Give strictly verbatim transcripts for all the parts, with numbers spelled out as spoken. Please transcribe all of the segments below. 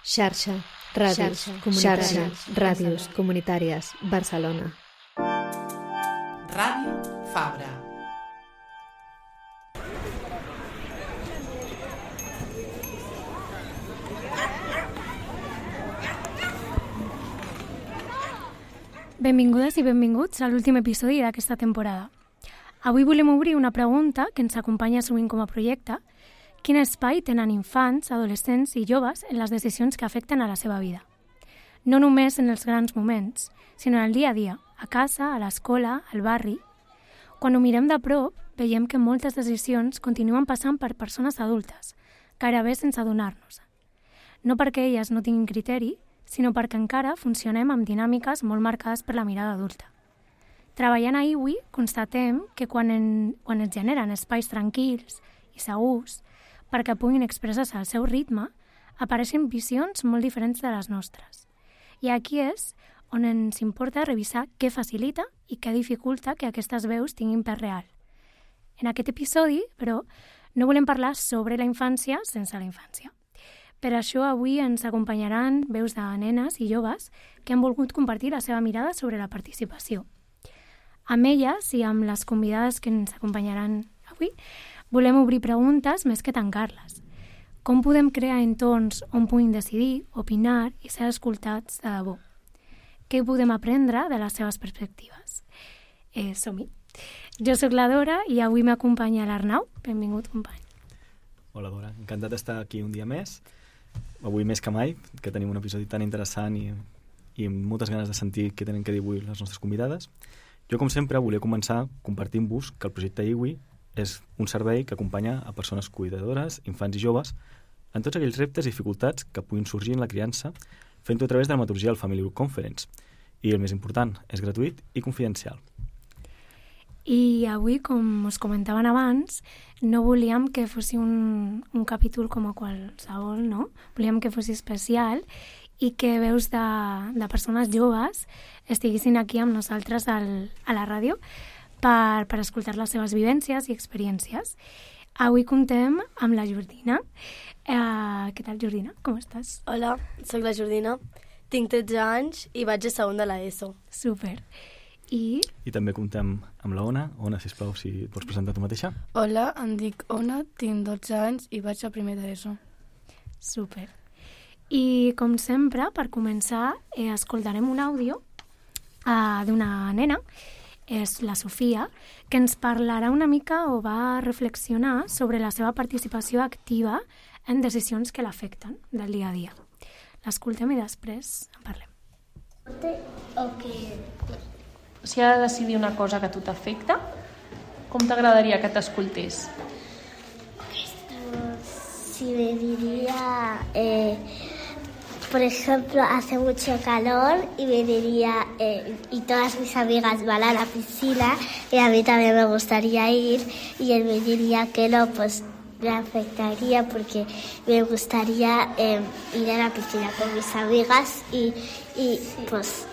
Xarxa, ràdios, xarxa, ràdios comunitàries, Barcelona. Ràdio Fabra. Benvingudes i benvinguts a l'últim episodi d'aquesta temporada. Avui volem obrir una pregunta que ens acompanya sovint com a projecte. Quin espai tenen infants, adolescents i joves en les decisions que afecten a la seva vida? No només en els grans moments, sinó en el dia a dia, a casa, a l'escola, al barri. Quan ho mirem de prop, veiem que moltes decisions continuen passant per persones adultes, gairebé sense adonar-nos. No perquè elles no tinguin criteri, sinó perquè encara funcionem amb dinàmiques molt marcades per la mirada adulta. Treballant a Iwi, constatem que quan, en, quan es generen espais tranquils i segurs perquè puguin expressar-se al seu ritme, apareixen visions molt diferents de les nostres. I aquí és on ens importa revisar què facilita i què dificulta que aquestes veus tinguin pes real. En aquest episodi, però, no volem parlar sobre la infància sense la infància. Per això avui ens acompanyaran veus de nenes i joves que han volgut compartir la seva mirada sobre la participació. Amb elles i amb les convidades que ens acompanyaran avui, volem obrir preguntes més que tancar-les. Com podem crear entorns on puguin decidir, opinar i ser escoltats de debò? Què podem aprendre de les seves perspectives? Eh, som-hi. Jo sóc la Dora i avui m'acompanya l'Arnau. Benvingut, company. Hola, Dora. Encantat d'estar aquí un dia més. Avui més que mai, que tenim un episodi tan interessant i, i amb moltes ganes de sentir què tenen que dir avui les nostres convidades. Jo, com sempre, volia començar compartint-vos que el projecte Iwi és un servei que acompanya a persones cuidadores, infants i joves en tots aquells reptes i dificultats que puguin sorgir en la criança, fent-ho a través de la metodologia del Family Conference. I el més important, és gratuït i confidencial. I avui, com us comentaven abans, no volíem que fos un, un capítol com a qualsevol, no? Volíem que fos especial i que veus de, de persones joves estiguessin aquí amb nosaltres al, a la ràdio per, per escoltar les seves vivències i experiències. Avui contem amb la Jordina. Uh, què tal, Jordina? Com estàs? Hola, sóc la Jordina. Tinc tretze anys i vaig a segon de l'ESO. Super. I... I també contem amb la Ona. Ona, sisplau, si et pots presentar tu mateixa. Hola, em dic Ona, tinc dotze anys i vaig a primer d'ESO. Super. I, com sempre, per començar, eh, escoltarem un àudio uh, d'una nena, és la Sofia, que ens parlarà una mica o va reflexionar sobre la seva participació activa en decisions que l'afecten del dia a dia. L'escoltem i després en parlem. Si ha de decidir una cosa que a tu t'afecta, com t'agradaria que t'escoltés? Si me diría, eh, por ejemplo, hace mucho calor y me diría, eh, y todas mis amigas van a la piscina y a mí también me gustaría ir, y él me diría que no, pues me afectaría porque me gustaría eh, ir a la piscina con mis amigas y, y pues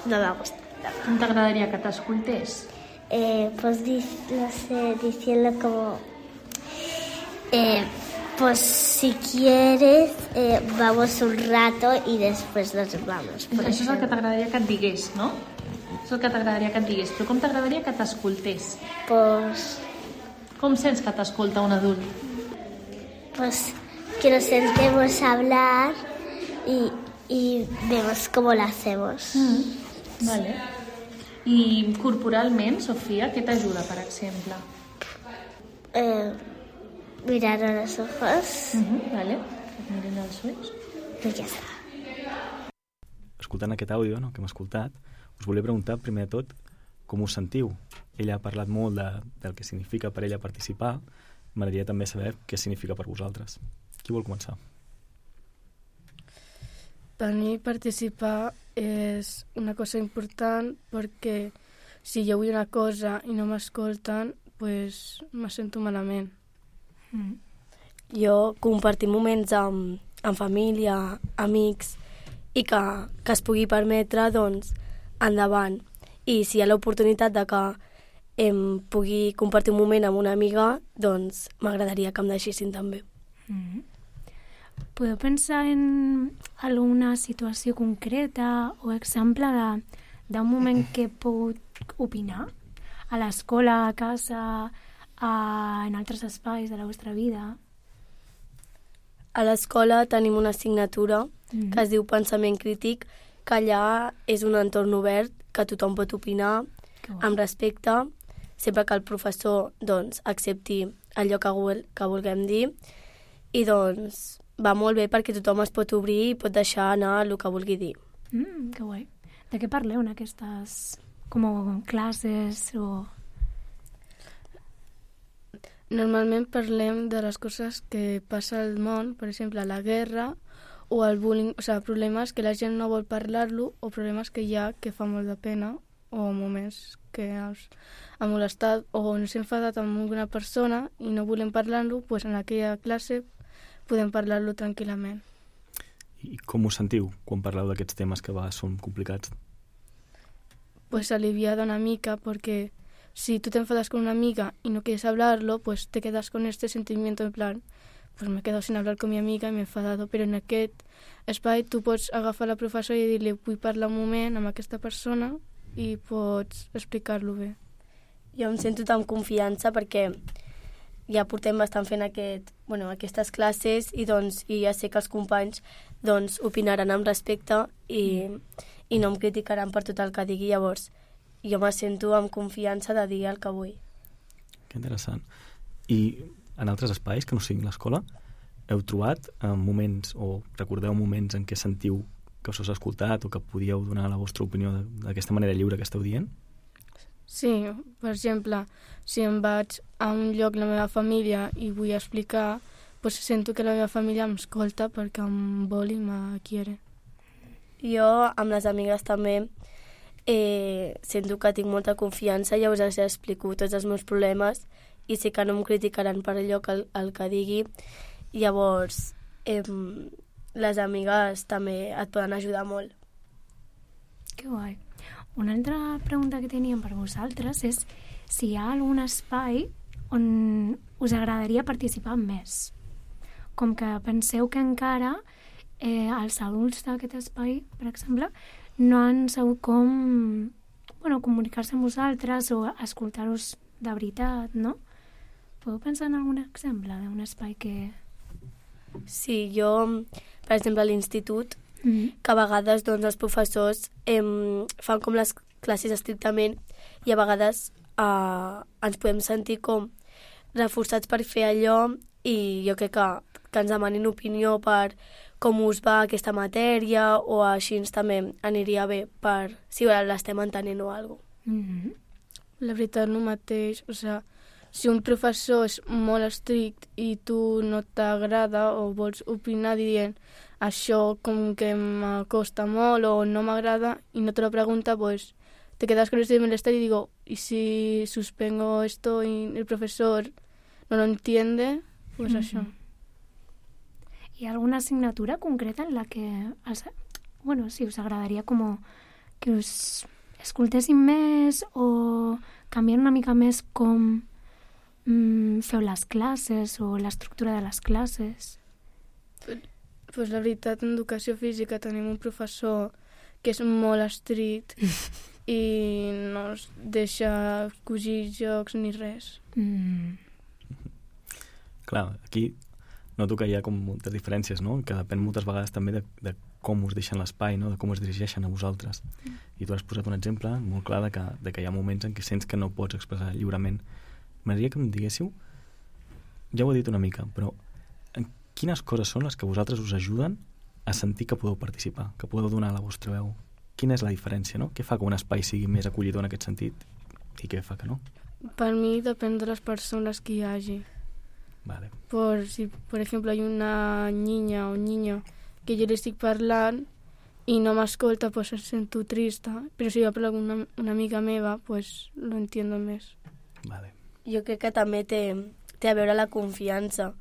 no me gusta. Com t'agradaria que t'escoltés? Eh, pues no sé, diciendo como, eh, pues si quieres eh, vamos un rato y después nos vamos. Això és el que t'agradaria que et digués, no? És el que t'agradaria que et digués. Però com t'agradaria que t'escoltés? Pues... Com sents que t'escolta un adult? Pues que nos sentemos a hablar y, y vemos cómo lo hacemos. Mm. Vale. I corporalment, Sofia, què t'ajuda, per exemple? Eh, mirar a los ojos. Uh-huh, vale. Miren els ulls. I ja està. Escoltant aquest àudio, no, que hem escoltat, us volia preguntar, primer de tot, com us sentiu? Ella ha parlat molt de, del que significa per ella participar. M'agradaria també saber què significa per vosaltres. Qui vol començar? Per mi participar és una cosa important perquè si jo vull una cosa i no m'escolten, pues me sento malament. Mm. Jo compartir moments amb, amb família, amics, i que, que es pugui permetre, doncs, endavant. I si hi ha l'oportunitat de que em pugui compartir un moment amb una amiga, doncs m'agradaria que em deixessin també. Mm-hmm. podeu pensar en alguna situació concreta o exemple de, d'un moment que heu pogut opinar? A l'escola, a casa, a, en altres espais de la vostra vida? A l'escola tenim una assignatura Mm. que es diu Pensament Crític, que allà és un entorn obert, que tothom pot opinar Que guai. amb respecte, sempre que el professor doncs, accepti allò que, vol, que vulguem dir, i doncs va molt bé perquè tothom es pot obrir i pot deixar anar el que vulgui dir. Mm, que guai. De què parleu en aquestes com classes o... Normalment parlem de les coses que passa al món, per exemple, la guerra o el bullying, o sigui, problemes que la gent no vol parlar-lo o problemes que hi ha que fa molt de pena o moments que ens ha molestat o ens hem enfadat amb alguna persona i no volem parlar-lo, doncs en aquella classe podem parlar-lo tranquil·lament. I com us sentiu quan parleu d'aquests temes que a vegades són complicats? Pues aliviada una mica, porque si tú te enfadas con una amiga y no quieres hablarlo, pues te quedas con este sentimiento en plan, pues me he quedado sin hablar con mi amiga i m'he enfadat, però en aquest espai tu pots agafar la professora i dir-li vull parlar un moment amb aquesta persona i pots explicar-lo bé. Jo em sento amb confiança perquè ja portem bastant fent aquest, bueno, aquestes classes i, doncs, i ja sé que els companys doncs, opinaran amb respecte i, i no em criticaran per tot el que digui. Llavors, jo me sento amb confiança de dir el que vull. Que interessant. I en altres espais que no siguin l'escola, heu trobat eh, moments o recordeu moments en què sentiu que us has escoltat o que podíeu donar la vostra opinió d'aquesta manera lliure que esteu dient? Sí, per exemple, si em vaig a un lloc la meva família i vull explicar, pues sento que la meva família m'escolta perquè em vol i me quiere. Jo, amb les amigues també, eh, sento que tinc molta confiança i ja us explico tots els meus problemes i sé que no em criticaran per allò que el, el que digui. Llavors, eh, les amigues també et poden ajudar molt. Que guai. Una altra pregunta que teníem per vosaltres és si hi ha algun espai on us agradaria participar més. Com que penseu que encara eh, els adults d'aquest espai, per exemple, no han sabut com bueno, comunicar-se amb vosaltres o escoltar-vos de veritat, no? Podeu pensar en algun exemple d'un espai que... Sí, jo, per exemple, a l'institut, Mm-hmm. que a vegades doncs, els professors eh, fan com les classes estrictament i a vegades eh, ens podem sentir com reforçats per fer allò i jo crec que, que ens demanin opinió per com us va aquesta matèria o així també aniria bé per si l'estem entenent o alguna cosa. Mm-hmm. La veritat no mateix, o sigui, si un professor és molt estrict i tu no t'agrada o vols opinar dient això com que m'acosta molt o no m'agrada i no te lo pregunta, pues te quedas con este malestar y digo, ¿y si suspengo esto y el profesor no lo entiende? Pues mm-hmm. això. Hi ha alguna assignatura concreta en la que els, bueno, si us agradaria com que us escoltessin més o canviar una mica més com mm, feu les classes o l'estructura de les classes? Pues la veritat, en educació física tenim un professor que és molt estrict i no es deixa cosir jocs ni res. Mm. Clar, aquí noto que hi ha com moltes diferències, no? Que depèn moltes vegades també de, de com us deixen l'espai, no? De com es dirigeixen a vosaltres. I tu has posat un exemple molt clar de que, de que hi ha moments en què sents que no pots expressar lliurement. M'agradaria que em diguéssiu, ja ho he dit una mica, però quines coses són les que vosaltres us ajuden a sentir que podeu participar, que podeu donar la vostra veu? Quina és la diferència, no? Què fa que un espai sigui més acollidor en aquest sentit i què fa que no? Per mi depèn de les persones que hi hagi. Vale. Por si, por ejemplo, hay una niña o un niño que yo le estic parlant i no m'escolta, pues em sento trista. Però si jo parlo amb una, una amiga meva, pues lo entiendo més. Vale. Jo crec que també té, té a veure la confiança.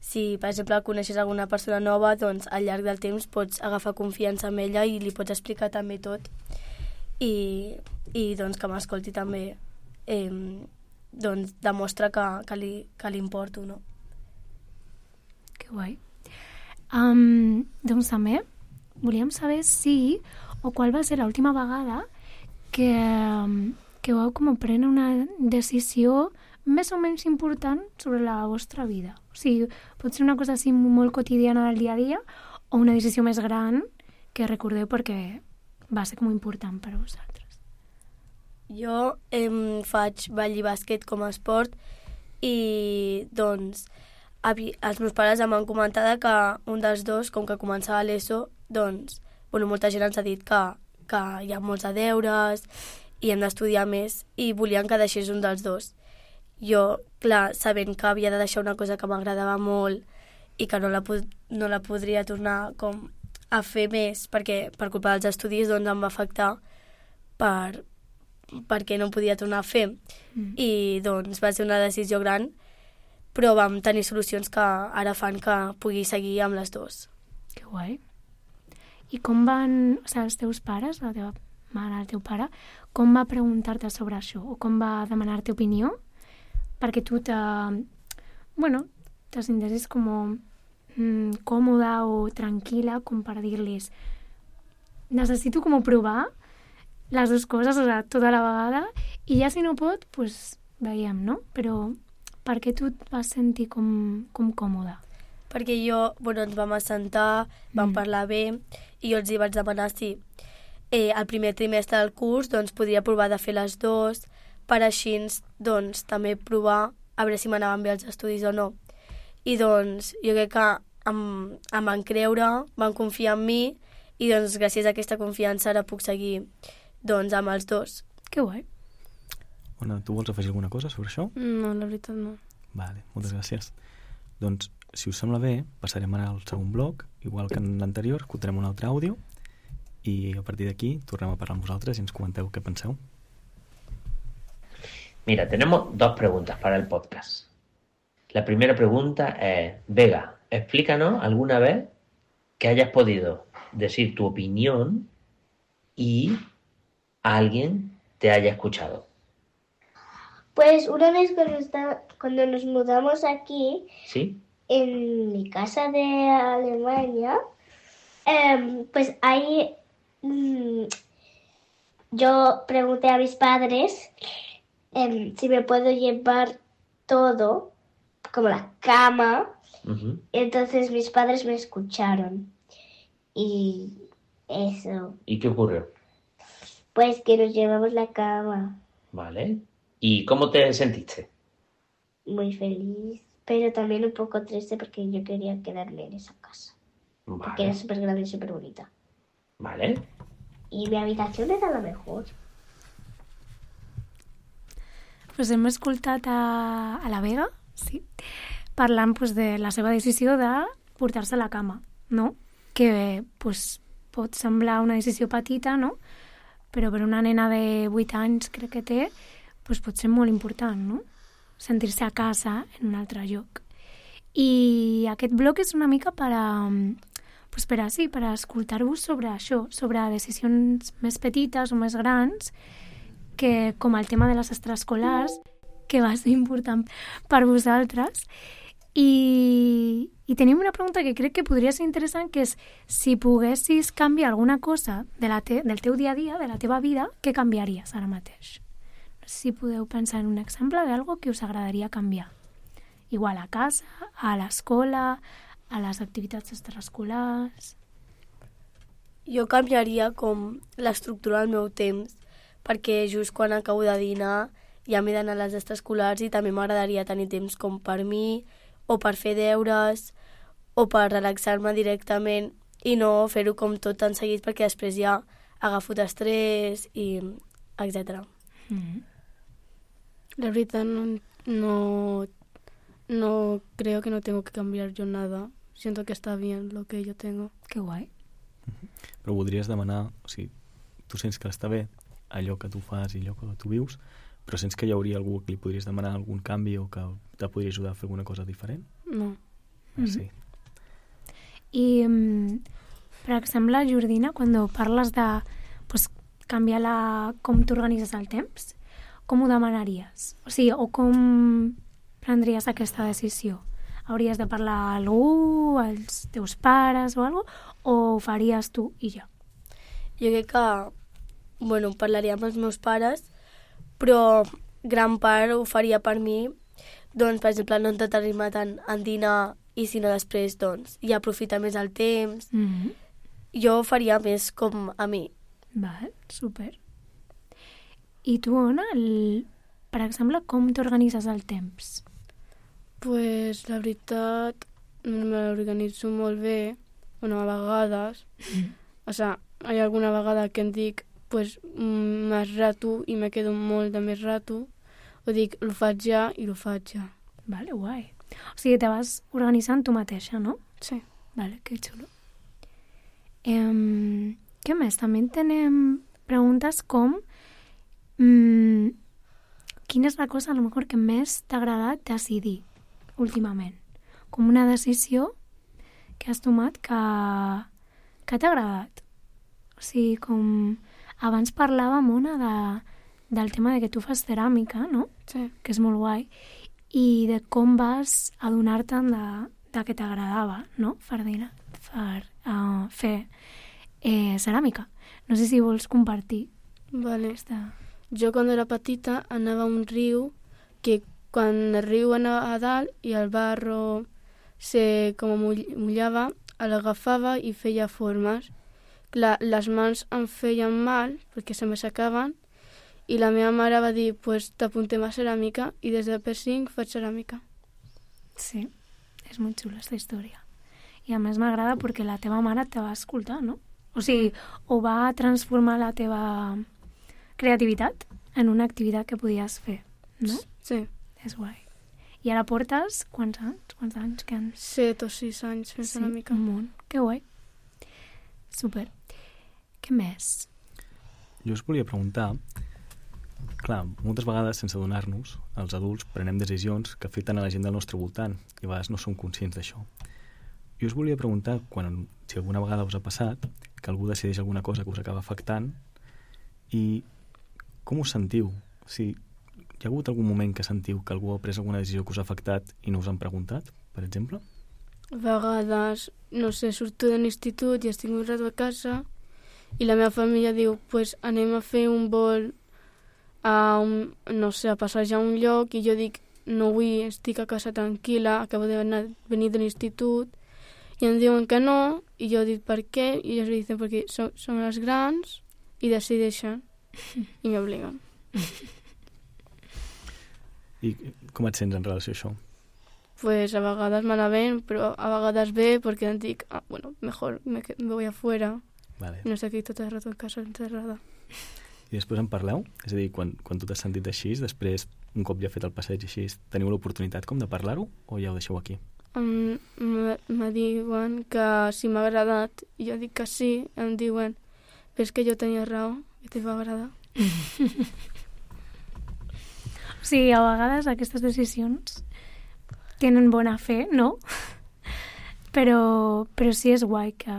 Si, per exemple, coneixes alguna persona nova, doncs al llarg del temps pots agafar confiança amb ella i li pots explicar també tot. I, i doncs que m'escolti també eh, doncs demostra que, que, li, que li importo, no? Que guai. Um, doncs també volíem saber si o qual va ser l'última vegada que, que vau com prendre una decisió més o menys important sobre la vostra vida. O sigui, pot ser una cosa així molt quotidiana del dia a dia o una decisió més gran que recordeu perquè va ser com important per a vosaltres. Jo em faig ball i bàsquet com a esport i doncs avi, els meus pares em van comentar que un dels dos, com que començava l'ESO, doncs bueno, molta gent ens ha dit que, que hi ha molts de deures i hem d'estudiar més i volien que deixés un dels dos. Jo, clar, sabent que havia de deixar una cosa que m'agradava molt i que no la, no la podria tornar com a fer més perquè per culpa dels estudis doncs em va afectar per, perquè no podia tornar a fer. Mm. I doncs va ser una decisió gran, però vam tenir solucions que ara fan que pugui seguir amb les dues. Que guai. I com van, o sigui, els teus pares, la teva mare, el teu pare, com va preguntar-te sobre això? O com va demanar-te opinió? Perquè tu te, bueno, te sintessis com mm, còmoda o tranquil·la com per dir-los necessito com provar les dues coses, o sigui, tota la vegada, i ja si no pot, pues veiem, no? Però per què tu et vas sentir com, com còmoda? Perquè jo, bueno, ens vam assentar, vam mm. parlar bé, i jo els hi vaig demanar si eh, el primer trimestre del curs doncs, podria provar de fer les dues, per així doncs, també provar a veure si m'anaven bé els estudis o no. I doncs jo crec que em, em van creure, van confiar en mi i doncs gràcies a aquesta confiança ara puc seguir doncs, amb els dos. Que guai. Ona, tu vols afegir alguna cosa sobre això? No, la veritat no. Vale, moltes gràcies. Doncs, si us sembla bé, passarem ara al segon bloc, igual que en l'anterior, escoltarem un altre àudio i a partir d'aquí tornem a parlar amb vosaltres i ens comenteu què penseu. Mira, tenemos dos preguntas para el podcast. La primera pregunta es, Vega, explícanos alguna vez que hayas podido decir tu opinión y alguien te haya escuchado. Pues una vez cuando, está, cuando nos mudamos aquí, ¿sí? En mi casa de Alemania, eh, pues ahí mmm, yo pregunté a mis padres eh, si me puedo llevar todo, como la cama. Uh-huh. Entonces mis padres me escucharon. Y eso. ¿Y qué ocurrió? Pues que nos llevamos la cama. Vale. ¿Y cómo te sentiste? Muy feliz, pero también un poco triste porque yo quería quedarme en esa casa. Vale. Porque era súper grande y súper bonita. Vale. Y mi habitación era la mejor. Pues hem escoltat a, a la Vega, sí, parlant pues, de la seva decisió de portar-se a la cama, no? Que pues, pot semblar una decisió petita, no? Però per una nena de vuit anys, crec que té, pues, pot ser molt important, no? Sentir-se a casa en un altre lloc. I aquest bloc és una mica per a, pues, per a, sí, per a escoltar-vos sobre això, sobre decisions més petites o més grans, que com el tema de les extraescolars, que va ser important per vosaltres. I, i tenim una pregunta que crec que podria ser interessant, que és si poguessis canviar alguna cosa de la te, del teu dia a dia, de la teva vida, què canviaries ara mateix? No sé si podeu pensar en un exemple d'algo que us agradaria canviar. Igual a casa, a l'escola, a les activitats extraescolars... Jo canviaria com l'estructura del meu temps, perquè just quan acabo de dinar ja m'he d'anar a les extraescolars i també m'agradaria tenir temps com per mi, o per fer deures, o per relaxar-me directament i no fer-ho com tot tan seguit perquè després ja agafo d'estrès i etcètera. Mm-hmm. La verdad no, no, no creo que no tengo que cambiar yo nada. Siento que está bien lo que yo tengo. Qué guai. Mm-hmm. Però voldries demanar, o sigui, tu sents que està bé allò que tu fas i allò que tu vius, però sents que hi hauria algú que li podries demanar algun canvi o que te podria ajudar a fer alguna cosa diferent? No. Ah, sí. I, per exemple, Jordina, quan parles de pues, canviar la, com t'organitzes el temps, com ho demanaries? O sigui, o com prendries aquesta decisió? hauries de parlar a algú, als teus pares o alguna cosa, o ho faries tu i ja? Jo crec que, bueno, parlaria amb els meus pares, però gran part ho faria per mi, doncs, per exemple, no entretenir-me tant en dinar i si no després, doncs, ja aprofitar més el temps. Mm-hmm. Jo ho faria més com a mi. Val, super. I tu, Ona, el... per exemple, com t'organitzes el temps? Pues, la veritat, m'organitzo molt bé, bueno, a vegades. Mm. O sea, hi ha alguna vegada que em dic, pues, més rato i me quedo molt de més rato, o dic, ho faig ja i ho faig ja. Vale, guai. O sigui, te vas organitzant tu mateixa, no? Sí. Vale, que xulo. Eh, què més? També tenim preguntes com mm, quina és la cosa a lo mejor que més t'ha agradat decidir últimament? Com una decisió que has tomat que, que t'ha agradat. O sigui, com abans parlàvem, Ona, de, del tema de que tu fas ceràmica, no? Sí. Que és molt guai. I de com vas adonar-te'n de, de que t'agradava, no? Fardina, fer, uh, fer eh, ceràmica. No sé si vols compartir. Vale. Aquesta... Jo quan era petita anava a un riu que quan el riu anava a dalt i el barro se com mullava, l'agafava i feia formes. Clar, les mans em feien mal perquè se m'assecaven i la meva mare va dir, pues t'apuntem a ceràmica i des de P cinc faig ceràmica. Sí, és molt xula aquesta història. I a més m'agrada perquè la teva mare te va escoltar, no? O sigui, ho va transformar la teva creativitat en una activitat que podies fer, no? Sí. És guai. I ara portes quants anys? Quants anys que han... Set o sis anys fent sí, ceràmica. un munt. Que guai. Super. Què més? Jo us volia preguntar, clar, moltes vegades sense adonar-nos, els adults prenem decisions que afecten a la gent del nostre voltant i a vegades no som conscients d'això. Jo us volia preguntar, quan, si alguna vegada us ha passat, que algú decideix alguna cosa que us acaba afectant i com us sentiu? O sigui, hi ha hagut algun moment que sentiu que algú ha pres alguna decisió que us ha afectat i no us han preguntat, per exemple? A vegades, no sé, surto de l'institut i estic un rato a casa i la meva família diu, pues anem a fer un vol a, un, no sé, a passejar a un lloc i jo dic, no vull, estic a casa tranquil·la, acabo de venir de l'institut i em diuen que no i jo dic per què i ells diuen perquè som, som les grans i decideixen i m'obliguen. I com et sents en relació a això? Pues a vegades malament, però a vegades bé perquè em dic, ah, bueno, mejor me, me voy afuera. Vale. No estic aquí tot el rato en casa encerrada. I després en parleu? És a dir, quan, quan tu t'has sentit així, després, un cop ja fet el passeig així, teniu l'oportunitat com de parlar-ho o ja ho deixeu aquí? Um, me diuen que si m'ha agradat, i jo dic que sí, em diuen, però és que jo tenia raó, que t'hi va agradar. O sigui, a vegades aquestes decisions tenen bona fe, no? Però, però sí és guai que,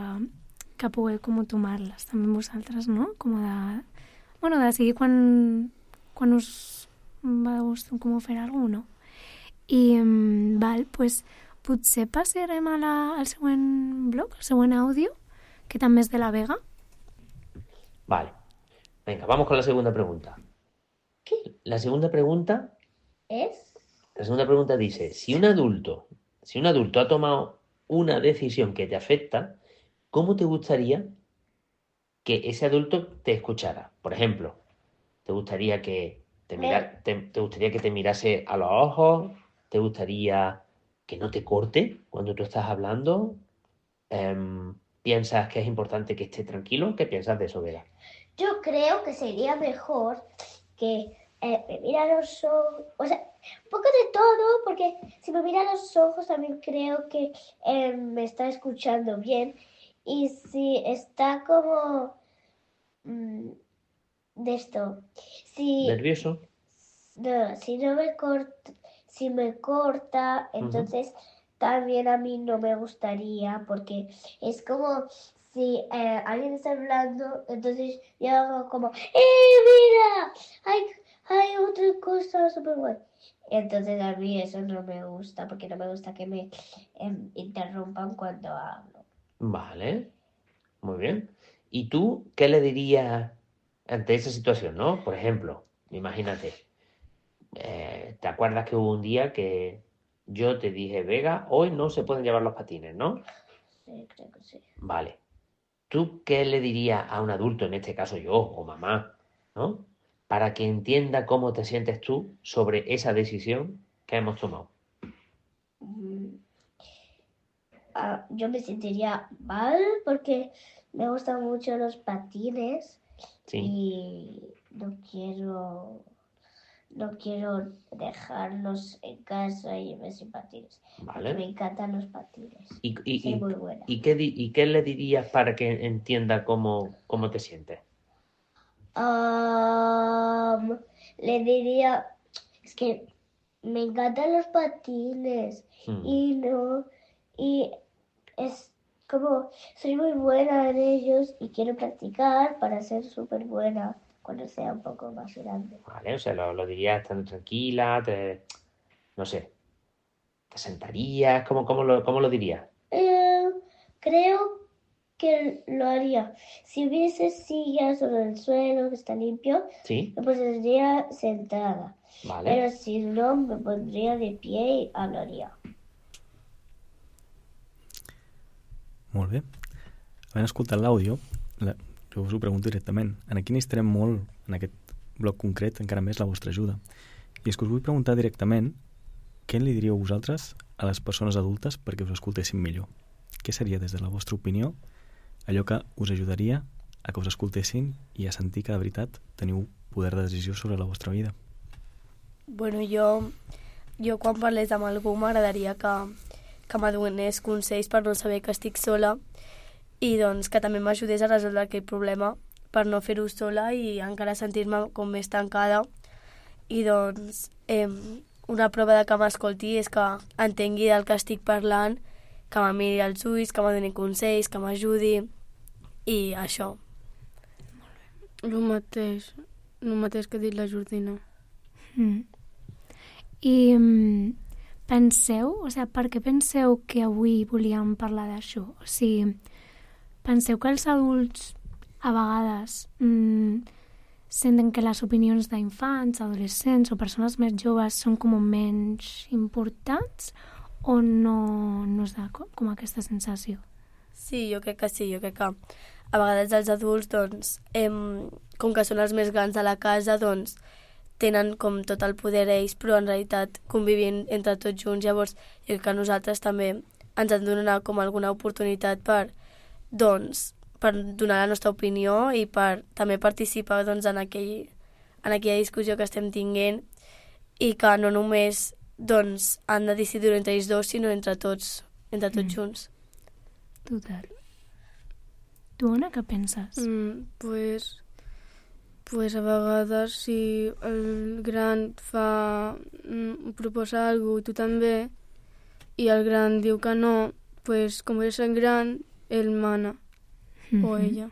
que pugueu com tomar-les també vosaltres, no? Com de... Bueno, decidir quan, quan us va de gust com fer alguna cosa, no? I, um, val, pues, potser passarem a la, al següent blog, al següent àudio, que també és de la Vega. Vale. Venga, vamos con la segunda pregunta. ¿Qué? La segunda pregunta ¿Es? La segunda pregunta dice, si un adulto, si un adulto ha tomado una decisión que te afecta, ¿cómo te gustaría que ese adulto te escuchara? Por ejemplo, ¿te gustaría que te, mira, te, te gustaría que te mirase a los ojos? ¿Te gustaría que no te corte cuando tú estás hablando? Eh, ¿Piensas que es importante que esté tranquilo? ¿Qué piensas de eso, Vera? Yo creo que sería mejor que eh, me mira a los ojos, o sea, un poco de todo, porque si me mira a los ojos también creo que eh, me está escuchando bien. Y si está como mmm, de esto, si ¿Nervioso? No, si no me corta, si me corta, entonces uh-huh. también a mí no me gustaría, porque es como si eh, alguien está hablando, entonces yo hago como, ¡eh, mira! ¡Ay, hay otra cosa súper buena. Entonces a mí eso no me gusta, porque no me gusta que me eh, interrumpan cuando hablo. Vale, muy bien. ¿Y tú qué le dirías ante esa situación, no? Por ejemplo, imagínate, eh, ¿te acuerdas que hubo un día que yo te dije, Vega, hoy no se pueden llevar los patines, ¿no? Sí, creo que sí. Vale. ¿Tú qué le dirías a un adulto, en este caso yo o mamá, ¿no? Para que entienda cómo te sientes tú sobre esa decisión que hemos tomado. Mm. Ah, yo me sentiría mal porque me gustan mucho los patines. Sí. Y no quiero, no quiero dejarlos en casa y irme sin patines. Vale. Me encantan los patines. ¿Y, y, Soy y, muy buena. ¿y, qué, di- ¿Y qué le dirías para que entienda cómo, cómo te sientes? Um, le diría, es que me encantan los patines Hmm. y no, y es como, soy muy buena en ellos y quiero practicar para ser súper buena cuando sea un poco más grande. Vale, o sea, lo, lo dirías estando tranquila, te, no sé, te sentarías, ¿cómo, cómo, lo, cómo lo dirías? Eh, creo que lo haría. Si hubiese sillas sobre el suelo que está limpio, Sí, me pondría sentada. vale. Pero si no, me pondría de pie y hablaría. Molt bé. Havent escoltat l'àudio, la, jo us ho pregunto directament. En aquí necessitarem molt, en aquest bloc concret, encara més la vostra ajuda. I és que us vull preguntar directament què li diríeu vosaltres a les persones adultes perquè us escoltessin millor. Què seria, des de la vostra opinió, allò que us ajudaria a que us escoltessin i a sentir que de veritat teniu poder de decisió sobre la vostra vida? Bueno, jo, jo quan parlés amb algú m'agradaria que, que m'adonés consells per no saber que estic sola i doncs que també m'ajudés a resoldre aquest problema per no fer-ho sola i encara sentir-me com més tancada. I doncs eh, una prova de que m'escolti és que entengui del que estic parlant, que me miri als ulls, que me doni consells, que m'ajudi i això. El mateix, el mateix que ha dit la Jordina. Mm. I mm, penseu, o sigui, per què penseu que avui volíem parlar d'això? O sigui, penseu que els adults a vegades mm, senten que les opinions d'infants, adolescents o persones més joves són com menys importants o no, no us da com, com aquesta sensació? Sí, jo crec que sí, jo crec que a vegades els adults, doncs, em, com que són els més grans de la casa, doncs, tenen com tot el poder ells, però en realitat convivint entre tots junts. Llavors, jo crec que nosaltres també ens han de donar com alguna oportunitat per, doncs, per donar la nostra opinió i per també participar doncs, en, aquell, en aquella discussió que estem tinguent i que no només doncs, han de decidir entre ells dos, sinó entre tots, entre tots mm. junts. Total. Tu, Ona, què penses? Mm, pues, pues a vegades si el gran fa, mm, proposa alguna cosa i tu també, i el gran diu que no, pues com és el gran, ell mana, mm-hmm. o ella.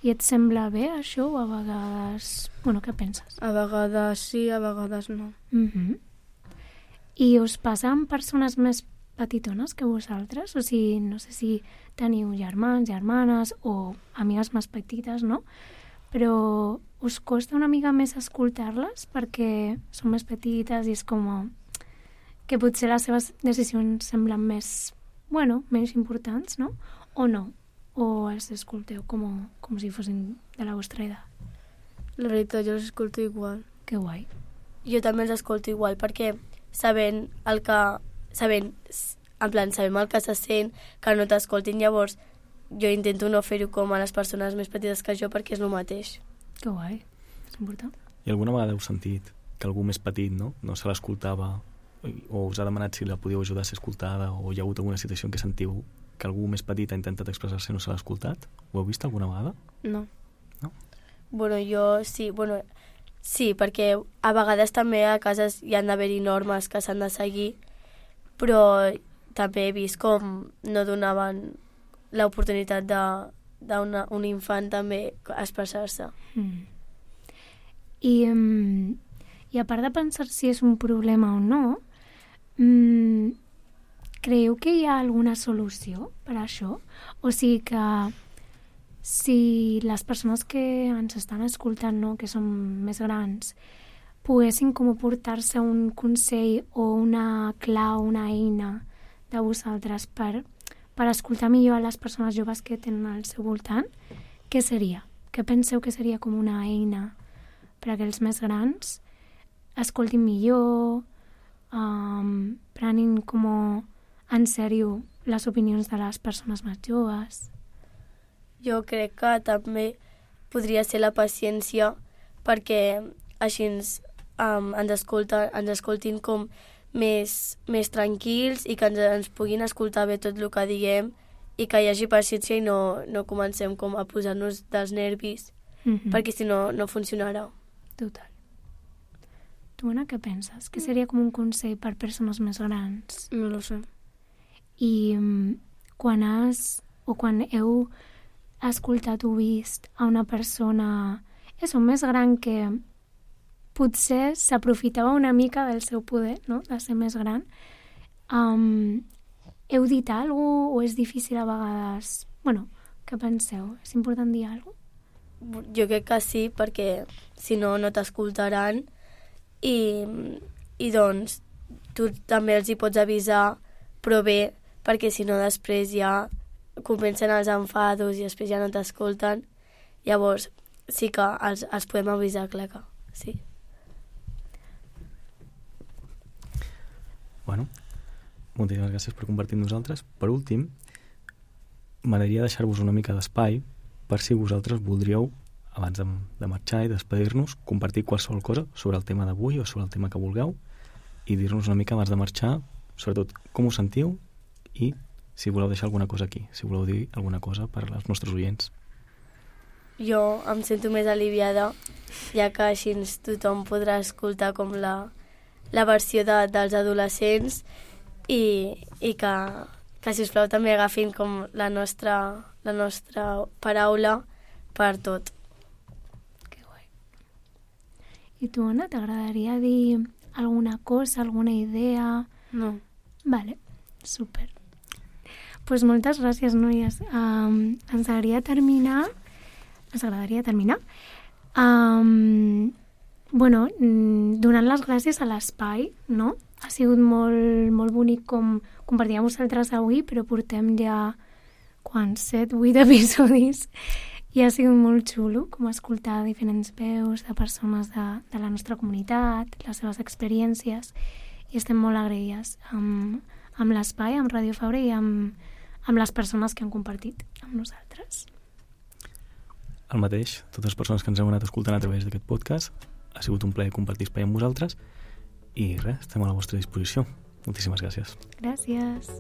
I et sembla bé això o a vegades... Bueno, què penses? A vegades sí, a vegades no. Mm-hmm. I us passa amb persones més petitones que vosaltres? O sigui, no sé si teniu germans, germanes o amigues més petites, no? Però us costa una mica més escoltar-les perquè són més petites i és com que potser les seves decisions semblen més, bueno, menys importants, no? O no? O els escolteu com, com si fossin de la vostra edat? La veritat, jo els escolto igual. Que guai. Jo també els escolto igual perquè sabent el que... sabent, en plan, sabem el que se sent, que no t'escoltin, llavors jo intento no fer-ho com a les persones més petites que jo perquè és el mateix. Que guai, és important. I alguna vegada heu sentit que algú més petit no, no se l'escoltava o us ha demanat si la podíeu ajudar a ser escoltada o hi ha hagut alguna situació en què sentiu que algú més petit ha intentat expressar-se i no se l'ha escoltat? Ho heu vist alguna vegada? No. No? Bueno, jo sí, bueno, sí, perquè a vegades també a cases hi han d'haver-hi normes que s'han de seguir, però també he vist com no donaven l'oportunitat d'un infant també a expressar-se. Mm. I, um, i a part de pensar si és un problema o no, um, creieu que hi ha alguna solució per a això? O sigui que si les persones que ens estan escoltant, no, que són més grans, poguessin com aportar-se un consell o una clau, una eina de vosaltres per, per escoltar millor a les persones joves que tenen al seu voltant, què seria? Què penseu que seria com una eina perquè els més grans escoltin millor, um, prenin com en sèrio les opinions de les persones més joves? Jo crec que també podria ser la paciència, perquè així ens, um, ens, escolta, ens escoltin com més, més tranquils i que ens, ens puguin escoltar bé tot el que diguem i que hi hagi paciència i no, no comencem com a posar-nos dels nervis, mm-hmm. perquè si no, no funcionarà. Total. Tu, Anna, què penses? Què seria com un consell per persones més grans? No lo sé. I um, quan has, o quan heu escoltat o vist a una persona és un més gran que potser s'aprofitava una mica del seu poder, no?, de ser més gran, um, heu dit alguna cosa o és difícil a vegades? Bueno, què penseu? És important dir alguna cosa? Jo crec que sí, perquè si no, no t'escoltaran i, i doncs tu també els hi pots avisar, però bé, perquè si no després ja comencen els enfados i després ja no t'escolten. Llavors sí que els, els podem avisar, clar que sí. Bueno, moltíssimes gràcies per compartir amb nosaltres. Per últim, m'agradaria deixar-vos una mica d'espai per si vosaltres voldríeu, abans de, de marxar i despedir-nos, compartir qualsevol cosa sobre el tema d'avui o sobre el tema que vulgueu i dir-nos una mica abans de marxar, sobretot com us sentiu i si voleu deixar alguna cosa aquí, si voleu dir alguna cosa per als nostres oients. Jo em sento més aliviada, ja que així tothom podrà escoltar com la, la versió de, dels adolescents i, i que, que, sisplau, també agafin com la nostra, la nostra paraula per tot. Que guai. I tu, Anna, t'agradaria dir alguna cosa, alguna idea? No. Vale, super. Pues moltes gràcies, noies. Um, ens agradaria terminar... Ens agradaria terminar. Um, bueno, donant les gràcies a l'espai, no? Ha sigut molt, molt bonic com compartir amb vosaltres avui, però portem ja quan set, vuit episodis i ha sigut molt xulo com escoltar diferents veus de persones de, de la nostra comunitat, les seves experiències, i estem molt agraïdes amb, amb l'espai, amb Ràdio Fabra i amb, amb les persones que han compartit amb nosaltres. El mateix, totes les persones que ens heu anat escoltant a través d'aquest podcast, ha sigut un plaer compartir espai amb vosaltres i res, estem a la vostra disposició. Moltíssimes gràcies. Gràcies.